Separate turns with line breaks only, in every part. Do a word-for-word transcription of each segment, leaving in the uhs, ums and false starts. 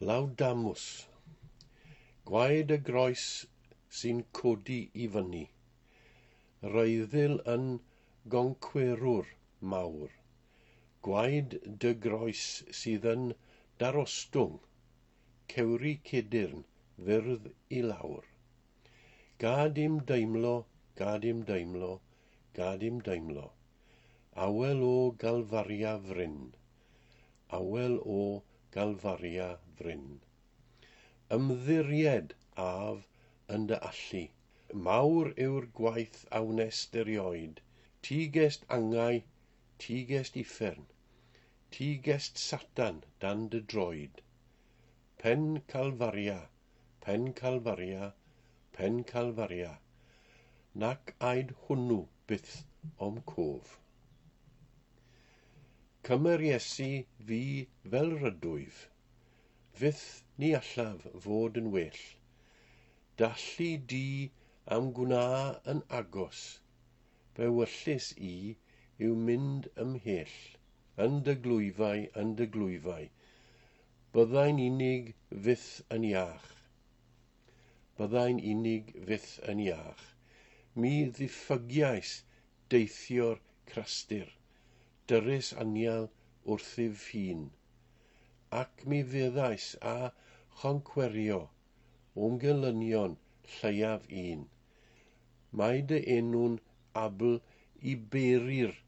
Laudamus. Gwaed y groes sy'n codi i fyny. Reuddil yn goncwerwr mawr. Gwaed dy groes sydd yn darostwng. Cewri cedyrn fyrdd i lawr. Gad im deimlo, gad im deimlo, gad im deimlo. Awel o Galfaria fryn. Awel o Galfaria fryn. Ymddiried af yn dy allu. Mawr yw'r gwaith a wnest erioed. Ti gest angau, ti gest uffern. Ti gest Satan dan dy droed. Pen Calfaria, pen Calfaria, pen Calfaria. Nac aed hwnnw byth o'm cof. Cymer Iesu fi fel rydwyf. Fyth ni allaf fod yn well. Dallu di am gwna yn agos. Fe wyllys i yw mynd ymhell. Yn dy glwyfau, yn dy glwyfau. Byddai'n unig fyth yn iach. Byddai'n unig fyth yn iach. Mi ddiffygiais deithio'r crastir. Dyrys anial wrthyf hun, ac mi feddais a choncwerio o'm gelynion lleiaf un. Mae dy enw'n abl i beri'r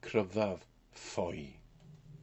cryfaf ffoi.